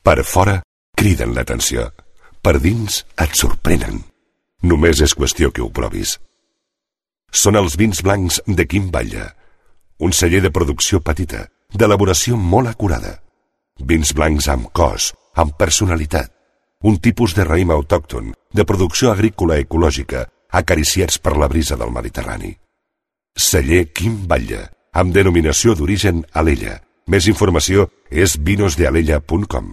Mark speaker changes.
Speaker 1: Per fora, criden l'atenció. Per dins, et sorprenen. Només és qüestió que ho provis. Són els vins blancs de Quim Batlle. Un celler de producció petita, d'elaboració molt acurada. Vins blancs amb cos, amb personalitat. Un tipus de raïm autòcton, de producció agrícola ecològica, acariciats per la brisa del Mediterrani. Celler Quim Batlle, amb denominació d'origen Alella. Més informació és vinosdealella.com.